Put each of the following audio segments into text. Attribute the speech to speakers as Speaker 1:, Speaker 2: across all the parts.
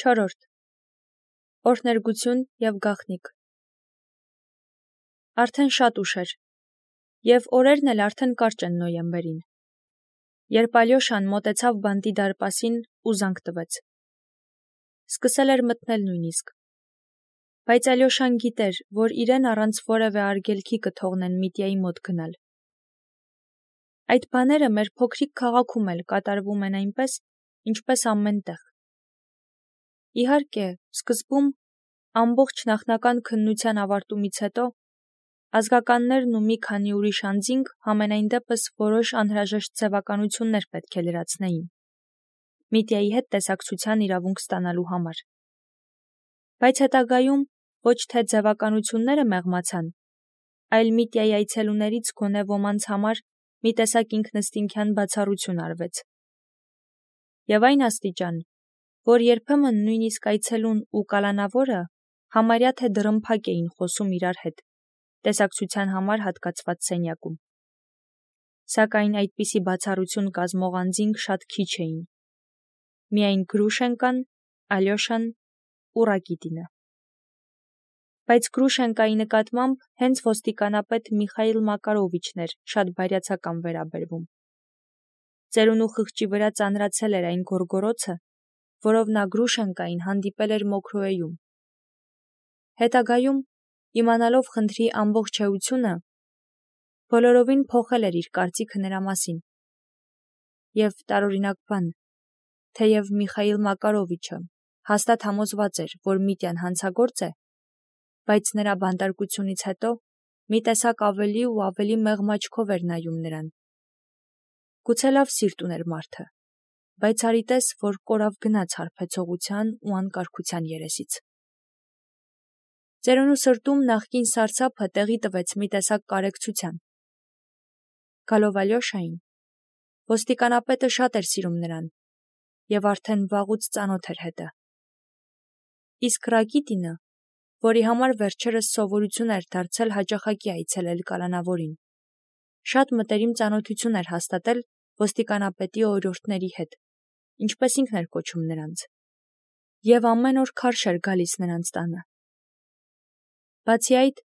Speaker 1: 4. Օրհներգություն և գաղտնիք։ Արդեն շատ ուշ էր, և օրերն էլ արդեն կարճ են նոյեմբերին, երբ Ալյոշան մոտեցավ բանտի դարպասին ու զանգ տվեց։ Սկսել էր մթնել նույնիսկ, բայց Ալյոշան գիտեր, որ իրեն առանց որևէ արգելքի կթողնեն Միտյայի մոտ գնալ։ Այդ բաները մեր փոքրիկ քաղաքում էլ կատարվում են այնպես, ինչպես ամեն տեղ։ Իհարկե, սկզբում, ամբողջ նախնական քննության ավարտումից հետո, ազգականներն ու մի քանի ուրիշ անձինք համենայն դեպս որոշ անհրաժեշտ ձևականություններ պետք է լրացնեին Միտյայի հետ տեսակցության իրավունք ստանալու համար։ Բայց հետագայում ոչ թե ձևականությունները մեղմացան, այլ Միտյայի այցելուներից գոնե ոմանց համար մի տեսակ ինքնըստինքյան բացառություն արվեց։ Եվ այն աստիճան, որ երբեմն նույնիսկ այցելուն ու կալանավորը համարյա թե դռնփակ էին խոսում իրար հետ, տեսակցության համար հատկացված սենյակում։ Սակայն այդպիսի բացառություն կազմող անձինք շատ քիչ էին։ Միայն Գրուշենկան, Ալյոշան ու Ռակիտինը։ Բայց Գրուշենկայի նկատմամբ հենց ոստիկանապետ Միխայիլ Մակարովիչն էր շատ բարյացակամ վերաբերվում։ Ծերունու խղճի վրա ծանրացել էր այն գորգորոցը, որով նա Գրուշենկային հանդիպել էր Մոքրոեում։ Հետագայում, իմանալով խնդրի ամբողջ էությունը, բոլորովին փոխել էր իր կարծիքը նրա մասին։ Եվ տարօրինակ բան, թեև Միխայիլ Մակարովիչը հաստատ համոզված էր, որ Միտյան հանցագործ է, բայց նրա բանտարկությունից հետո մի տեսակ ավելի ու ավելի մեղմ աչքով էր նայում նրան։ Գուցե լավ սիրտ ուներ մարդը, բայց արի տես, որ կորավ գնաց հարբեցողության ու անկարգության երեսից։ Ծերունու սրտում նախկին սարսափը տեղի տվեց մի տեսակ կարեկցության։ Գալով Ալյոշային, ոստիկանապետը շատ էր սիրում նրան և արդեն վաղուց ծանոթ էր հետը։ Իսկ Ռակիտինը, որի համար վերջերս սովորություն էր դարձել հաճախակի այցելել կալանավորին, շատ մտերիմ ծանոթություն էր հաստատել ոստիկանապետի օրիորդների հետ, ինչպես ինքն էր կոչում նրանց, և ամեն օր քարշ էր գալիս նրանց տանը։ Բացի այդ,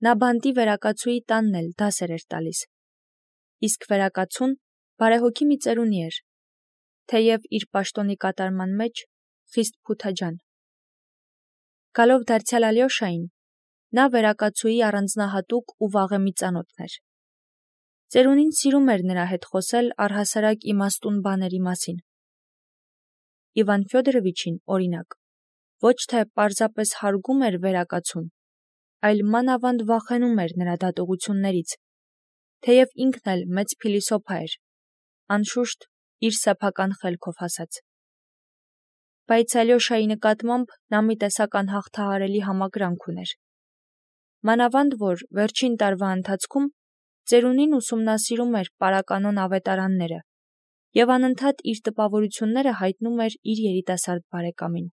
Speaker 1: նա բանտի վերակացուի տանն էլ դասեր էր տալիս, իսկ վերակացուն բարեհոգի մի ծերունի էր, թեև իր պաշտոնի կատարման մեջ խիստ փութաջան։ Գալով դարձյալ Ալյոշային, նա վերակացուի առանձնահատուկ ու վաղեմի ծանոթն էր։ Ծերունին սիրում էր նրա հետ խոսել առհասարակ իմաստուն բաների մասին։ Իվան Ֆյոդորովիչին, օրինակ, ոչ թե պարզապես հարգում էր վերակացուն, այլ մանավանդ վախենում էր նրա դատողություններից, թեև ինքն էլ մեծ փիլիսոփա էր, անշուշտ, իր սեփական խելքով ասած։ Բայց Ալյոշայի նկատմամբ նա մի տեսակ անհաղթահարելի համակրանք ուներ։ Մանավանդ որ վերջին տարվա ընթացքում ծերունին ուսումնասիրում էր պարականոն ավետարանները և անընդհատ իր տպավորությունները հայտնում էր իր երիտասարդ բարեկամին։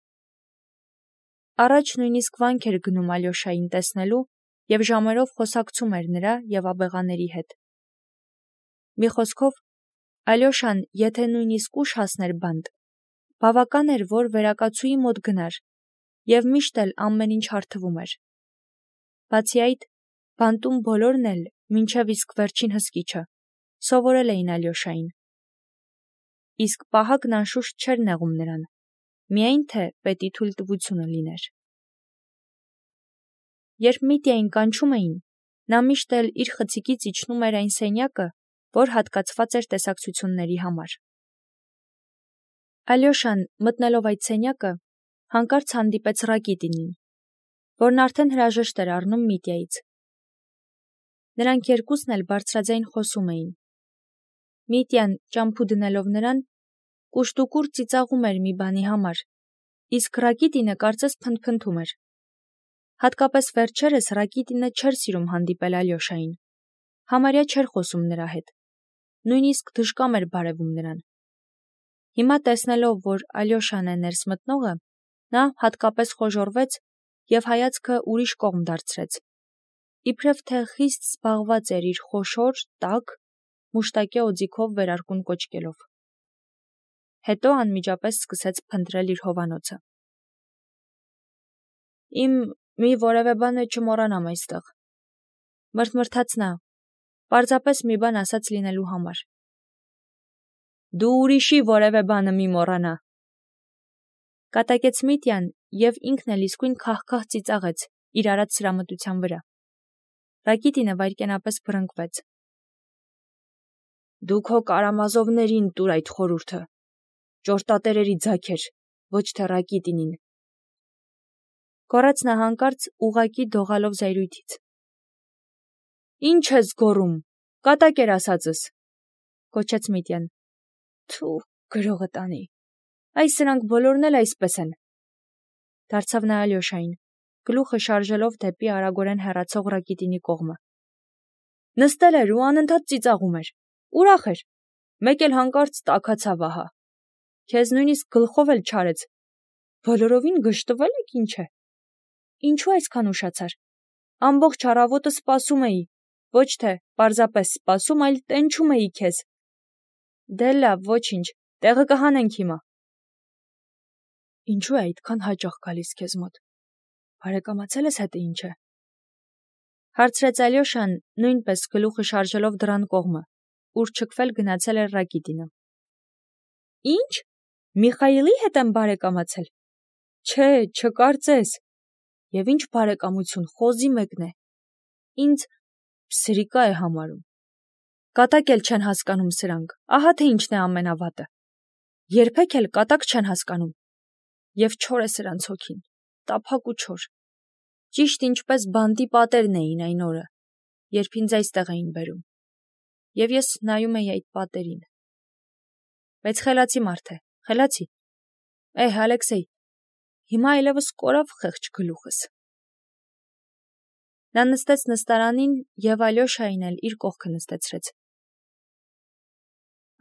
Speaker 1: Առաջ նույնիսկ վանք էր գնում Ալյոշային տեսնելու և ժամերով խոսակցում էր նրա և աբեղաների հետ։ Մի խոսքով, Ալյոշան, եթե նույնիսկ ուշ հասներ բանտ, բավական էր, որ վերակացուի մոտ գնար, և միշտ էլ ամեն ինչ հարթվում էր։ Բացի այդ, բանտում բոլորն էլ, մինչև իսկ վերջին հսկիչը, սովորել էին Ալյոշային։ Իսկ պահակն անշուշտ չէր նեղում նրան, միայն թե պետի թույլտվությունը լիներ։ Երբ Միտյային կանչում էին, նա միշտ էլ իր խցիկից իջնում էր այն սենյակը, որ հատկացված էր տեսակցությունների համար։ Ալյոշան, մտնելով այդ սենյակը, հանկարծ հանդիպեց Ռակիտինին, որն արդեն հրաժեշտ էր առնում Միտյայից։ Նրանք երկուսն էլ բարձրաձայն խոսում էին։ Միտյան, ճամփու դնելով նրան, կուշտուկուր ծիծաղում էր մի բանի համար, իսկ Ռակիտինը կարծես փնթփնթում էր։ Հատկապես վերջերս Ռակիտինը չէր սիրում հանդիպել Ալյոշային, համարյա չէր խոսում նրա հետ, նույնիսկ դժկամ էր բարևում նրան։ Հիմա տեսնելով, որ Ալյոշան է ներս մտնողը, նա հատկապես խոժոռվեց և հայացքը ուրիշ կողմ դարձրեց, իբրև թե խիստ զբաղված էր իր խոշոր, տաք, մուշտակե օձիքով վերարկուն կոճկելով։ Հետո անմիջապես սկսեց փնտրել իր հովանոցը։ Իմ մի որևէ բան չմոռանամ այստեղ։ Մրթմրթաց նա, պարզապես մի բան ասած լինելու համար։ Դու ուրիշի որևէ բանը մի մոռանա։ Կատակեց Միտյան և ինքն էլ իսկույն քահ-քահ ծիծաղեց իր արած սրամտության վրա։ Ռակիտինը վայրկենապես փռնկվեց։ Դու քո կարամազովներին տուր այդ խորհուրդը, ճորտատերերի ձագեր, ոչ թե Ռակիտինին։ Գոռաց նա հանկարծ ուղղակի դողալով զայրույթից։ Ինչ ես գոռում, կատակ էր ասածս, կոչեց Միտյան։ Թու, գրողը տանի, այս սրանք բոլորն էլ այսպես են։ Դարձավ նա Ալյոշային, գլուխը շարժելով դեպի արագորեն հեռացող Ռակիտինի կողմը։ Նստել էր ու անընդհատ ծիծաղում էր, ուրախ էր, մեկ էլ հանկարծ տաքացավ ահա։ Քեզ նույնիսկ գլխով էլ չարեց։ Բոլորովին գժտվել եք ինչ է։ Ինչու այսքան ուշացար։ Ամբողջ առավոտը սպասում էի, ոչ թե պարզապես սպասում, այլ տենչում էի քեզ։ Դե լավ, ոչինչ, տեղը կհանենք հիմա։ Ինչու է այդքան հաճախ գալիս քեզ մոտ։ Բարեկամացել ես հետը ինչ է։ Հարցրեց Ալյոշան, նույնպես գլուխը շարժելով դռան կողմը, ուր չքվել գնացել էր Ռակիտինը։ Ինչ։ Միխայիլի հետ եմ բարեկամացել։ Չէ, չկարծես։ Եվ ինչ բարեկամություն, խոզի մեկն է։ Ինձ սրիկա է համարում։ Կատակ էլ չեն հասկանում սրանք, ահա թե ինչն է ամենավատը։ Երբեք էլ կատակ չեն հասկանում։ Եվ չոր է սրանց հոգին, տափակ ու չոր։ Ճիշտ ինչպես բանտի պատերն էին այն օրը, երբ ինձ այստեղ էին բերում։ Եվ ես նայում էի այդ պատերին։ Բայց խելացի մարդ է, խելացի։ Ալեքսեյ, հիմա այլևս կորավ խեղճ գլուխս։ Նա նստեց նստարանին և Ալյոշային էլ իր կողքը նստեցրեց։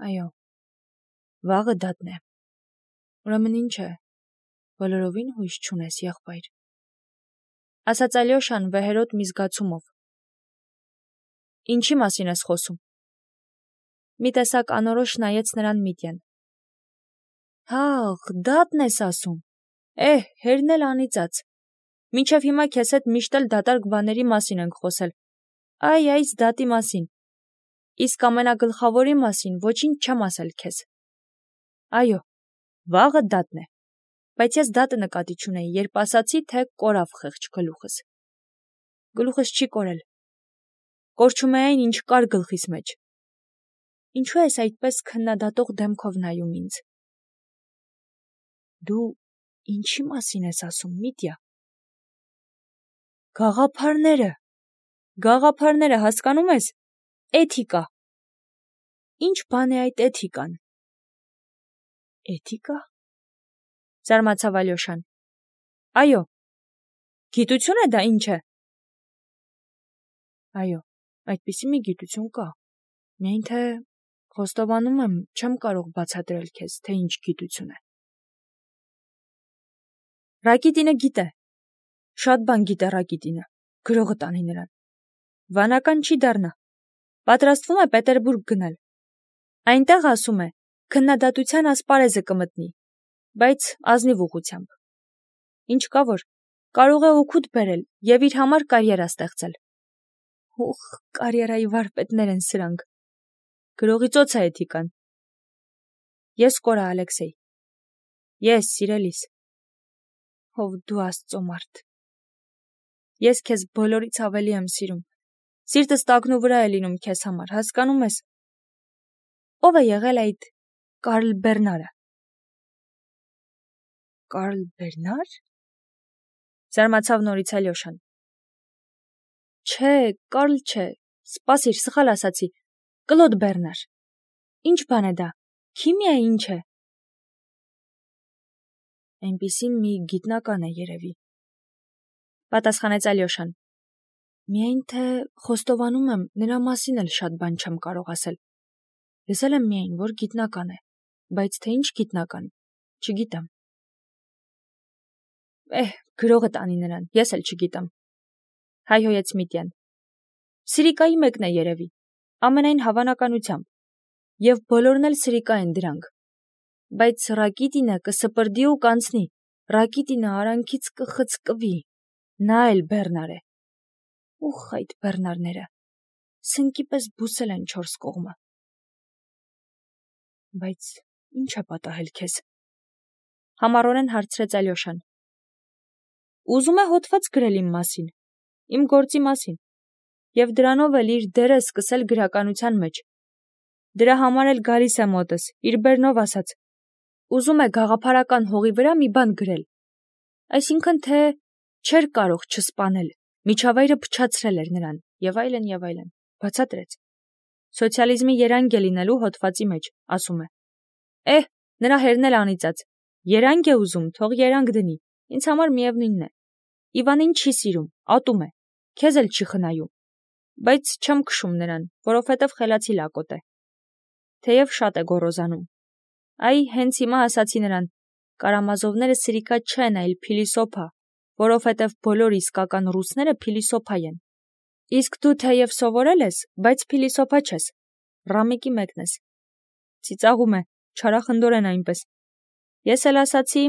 Speaker 1: Այո, վաղը դատն է։ Ուրեմն ինչ է, բոլորովին հույս չունես, եղբայր, ասաց Ալյոշան վեհերոտ մի զգացումով։ Ինչի մասին ես խոսում։ Մի տեսակ անորոշ նայեց նրան Միտյան։ Հաղ, դատն ես ասում։ Հերն էլ անիծած։ Մինչև հիմա քեզ հետ միշտ էլ դատարկ բաների մասին ենք խոսել։ Այս դատի մասին։ Իսկ ամենագլխավորի մասին ոչինչ չեմ ասել քեզ։ Այո, վաղը դատն է։ Բայց ես դատը նկատի չունեի, երբ ասացի, թե կորավ խեղճ գլուխս։ Գլուխս չի կորել։ Կորչում է այն, ինչ կար գլխիս մեջ։ Ինչու ես այդպես քննադատող դեմքով նայում ինձ։ Դու ինչի մասին ես ասում, Միտյա։ Գաղափարները, հասկանում ես։ Էթիկա։ Ինչ բան է այդ էթիկան։ Էթիկա։ Զարմացավ Ալյոշան։ Այո, գիտություն է դա ինչ է։ Այո, այդպիսի մի գիտություն կա։ Միայն թե խոստովանում եմ, չեմ կարող բացատրել քեզ, թե ինչ գիտություն է։ Ռակիտինը գիտե։ Շատ բան գիտե Ռակիտինը, գրողը տանի նրան։ Վանական չի դառնա։ Պատրաստվում է Պետերբուրգ գնալ։ Այնտեղ, ասում է, քննադատության ասպարեզը կմտնի, բայց ազնիվ ուղղությամբ։ Ինչ կա որ, կարող է օգուտ բերել և իր համար կարիերա ստեղծել։ Կարիերայի վարպետներ են սրանք։ Գրողի ծոց է էթիկան։ Ես կորա, Ալեքսեյ։ Ես, սիրելիս։ Ով դու Աստծո մարդ։ Ես քեզ բոլորից ավելի եմ սիրում։ Սիրտս տակնու վրա է լինում քեզ համար, հասկանում ես։ Ով է եղել այդ Կարլ Բերնարը։ Կարլ Բերնար։ Զարմացավ նորից Ալյոշան։ Չէ, Կարլ չէ, սպասիր, սխալ ասացի, Կլոդ Բերնար։ Ինչ բան է դա, քիմիա է ինչ է։ Այնպիսին մի գիտնական է երևի։ Պատասխանեց Ալյոշան։ Միայն թե խոստովանում եմ, նրա մասին էլ շատ բան չեմ կարող ասել։ Լսել եմ միայն, որ գիտնական է, բայց թե ինչ գիտնական, չգիտեմ։ Գրողը տանի նրան, ես էլ չգիտեմ։ Հայհոյեց Միտյան։ Սրիկայի մեկն է երևի, ամենայն հավանականությամբ, և բոլորն էլ սրիկա են դրանք։ Բայց Ռակիտինը կսպրդի ու կանցնի, Ռակիտինը արանքից կխցկվի։ Նա էլ բեռնար է։ Ուխ, այդ բեռնարները, սնկի պես բուսել են 4 կողմը։ Բայց ինչ է պատահել քեզ։ Համառորեն հարցրեց Ալյոշան։ Ուզում է հոդված գրել իմ մասին, իմ գործի մասին, եւ դրանով էլ իր դերը սկսել գրականության մեջ։ Դրա համար էլ գալիս է մոտս, իր բեռնով ասած։ Ուզում է գաղափարական հողի վրա մի բան գրել։ Այսինքն թե չէր կարող չսպանել, միջավայրը փչացրել էր նրան, եւ այլն, բացատրեց։ Սոցիալիզմի երանգ է լինելու հոդվածի մեջ, ասում է։ Նրա հերն էլ անիծած։ Երանգ է ուզում, թող երանգ դնի, ինձ համար միևնույնն է։ Իվանին չի սիրում, ատում է, քեզ էլ չի խնայում, բայց չեմ քշում նրան, որովհետև խելացի լակոտ է։ Թեև շատ է գոռոզանում։ Հենց հիմա ասացի նրան, Կարամազովները սրիկա չեն, այլ փիլիսոփա, որովհետև բոլոր իսկական ռուսները փիլիսոփա են։ Իսկ դու թեև սովորել ես, բայց փիլիսոփա չես, ռամիկի մեկն ես։ Ծիծաղում է, չարախնդորեն այնպես։ Ես էլ ասացի,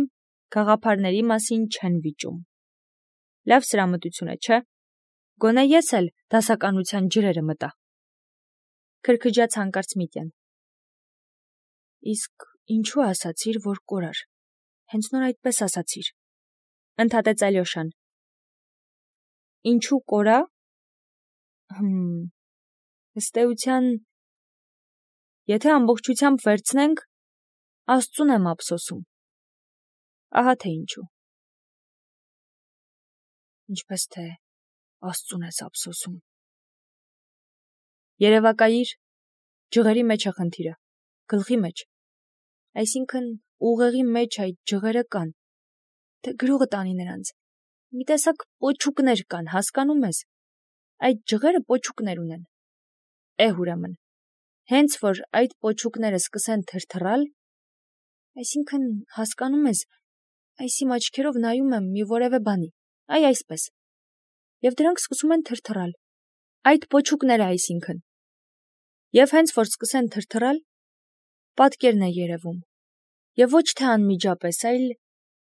Speaker 1: գաղափարների մասին չեն վիճում։ Լավ սրամտություն է, չէ՞։ Գոնե ես էլ դասականության ջրերը մտա։ Քրքջաց հանկարծ Միտյան։ Իսկ ինչու ասացիր, որ կորար։ Հենց նոր այդպես ասացիր։ Ընդհատեց Ալյոշան։ Ինչու կորա։ Ըստ էության, եթե ամբողջությամբ վերցնենք, Աստծուն եմ ափսոսում։ Ահա թե ինչու։ Ինչպես թե Աստծուն ես ափսոսում։ Երևակայիր, ջղերի մեջ է խնդիրը, գլխի մեջ։ Այսինքն ուղեղի մեջ այդ ջղերը կան, թե գրողը տանի նրանց։ Մի տեսակ պոչուկներ կան, հասկանում ես։ Այդ ջղերը պոչուկներ ունեն։ Ուրեմն, հենց որ այդ պոչուկները սկսեն թրթռալ, այսինքն հասկանում ես, իմ աչքերով նայում եմ մի որևէ բանի, այսպես, եւ դրանք սկսում են թրթռալ, այդ պոչուկները այսինքն, եւ հենց որ սկսեն թրթռալ, պատկերն է երևում, եւ ոչ թե անմիջապես, այլ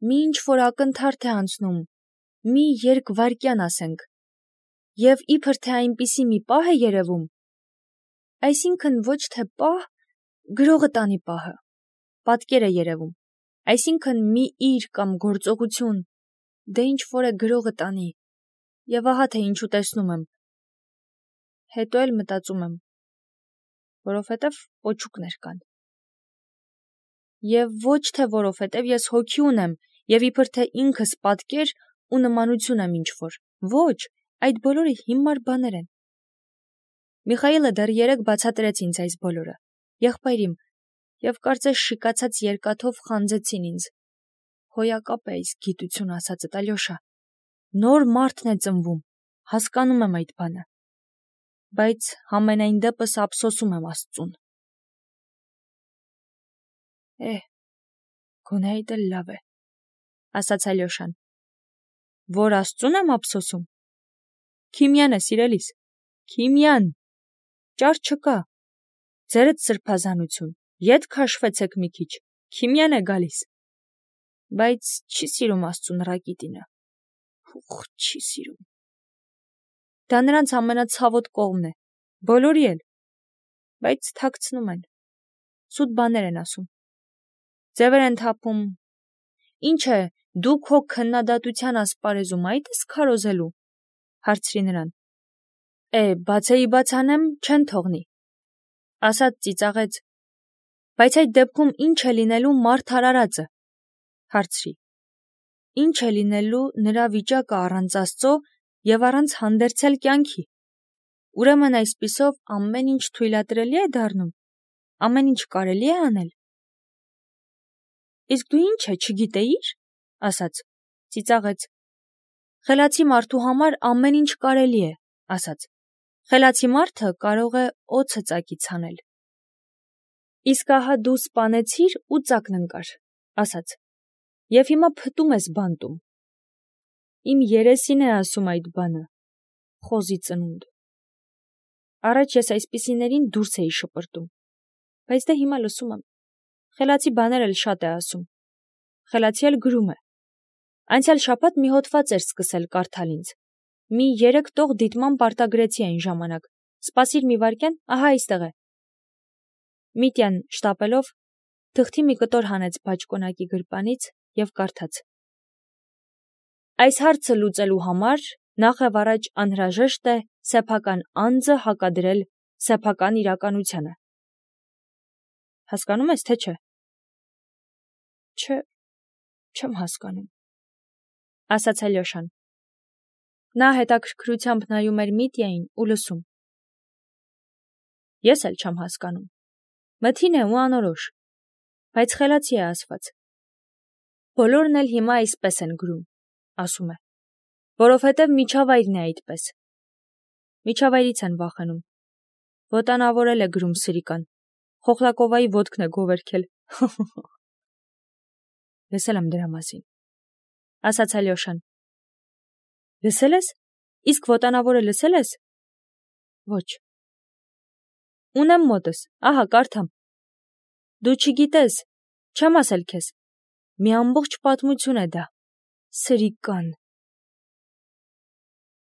Speaker 1: մի ինչ-որ ակնթարթ է անցնում, մի երկվայրկյան ասենք, եւ իբր թե այնպիսի մի պահ է երևում, այսինքն ոչ թե պահ, գրողը տանի պահը, պատկեր է երևում, այսինքն մի իր կամ գործողություն, դե ինչ-որ է գրողը տանի, եւ ահա թե ինչու տեսնում եմ, հետո էլ մտածում եմ, որովհետև պոչուկներ կան։ Եվ ոչ թե որովհետև ես հոգի ունեմ, եւ իբր թե ինքս պատկեր ու նմանություն եմ ինչ-որ, ոչ, այդ բոլորը հիմար բաներ են։ Միխայելը դեռ երեկ բացատրեց ինձ այս բոլորը, եղբայրիմ, եւ կարծես շիկացած երկաթով խանձեցին ինձ։ Հոյակապ է այս գիտություն ասածդ, Ալյոշա։ Նոր մարդն է ծնվում, հասկանում եմ այդ բանը, բայց համենայն դեպս ափսոսում եմ Աստծուն։ Գոնե այդ էլ լավ է, ասաց Ալյոշան։ Որ Աստծուն եմ ափսոսում։ Քիմիան է, սիրելիս, քիմիան։ Ճար չկա։ Ձերդ սրբազանություն, ետ քաշվեցեք մի քիչ, քիմիան է գալիս։ Բայց չի սիրում Աստծուն ռակիտինը։ Չի սիրում։ Դա նրանց ամենացավոտ կողմն է, բոլորի էլ, բայց թաքցնում են, սուտ բաներ են ասում, ձևեր են թափում, ինչ է, դու քո քննադատության ասպարեզում այդ ես քարոզելու, հարցրի նրան, բացեի բաց անեմ, չեն թողնի, ասաց ծիծաղեց, բայց այդ դեպքում ինչ է լինելու մարդ արարածը, հարցրի, ինչ է լինելու նրա վիճակը առանց Աստծո եւ առանց հանդերձել կյանքի, ուրեմն այսպիսով ամեն ինչ թույլատրելի է դառնում, ամեն ինչ կարելի է անել։ Իսկ դու ինչ է, չգիտեիր, ասաց, ծիծաղեց, խելացի մարդու համար ամեն ինչ կարելի է, ասաց, խելացի մարդը կարող է օձը ծակից հանել։ Իսկ ահա դու սպանեցիր ու ծակն ընկար, ասաց, եւ հիմա փտում ես բանտում։ Իմ երեսին է ասում այդ բանը, խոզի ծնունդ։ Առաջ ես այսպիսիներին դուրս էի շպրտում, բայց դե հիմա լսում եմ, խելացի բաներ էլ շատ է ասում, խելացի էլ գրում է, Անցյալ շաբաթ մի հոդված էր սկսել կարդալ ինձ։ Մի 3 տող դիտման պարտագրեցի այն ժամանակ։ Սպասիր մի վայրկյան, ահա այստեղ է։ Միտյան շտապելով թղթի մի կտոր հանեց բաճկոնակի գրպանից և կարդաց. Այս հարցը լուծելու համար նախևառաջ անհրաժեշտ է սեփական անձը հակադրել սեփական իրականությանը։ Հասկանում ես, թե չէ։ Չէ, չեմ հասկանում, ասաց Ալյոշան։ Նա հետաքրքրությամբ նայում էր Միտյային ու լսում։ Ես էլ չեմ հասկանում։ Մթին է ու անորոշ, բայց խելացի է ասված։ Բոլորն էլ հիմա այսպես են գրում, ասում է, որովհետև միջավայրն է այդպես։ Միջավայրից են վախենում։ Ոտանավորել է գրում սրիկան, Խոխլակովայի ոտքն է գովերքել։ Լսել եմ դրա մասին, ասաց Ալյոշան։ Լսել ես։ Իսկ ոտանավորը լսել ես։ Ոչ։ Ունեմ մոտս, ահա կարդամ։ Դու չգիտես, չեմ ասել քեզ։ Մի ամբողջ պատմություն է դա։ Սրիկան։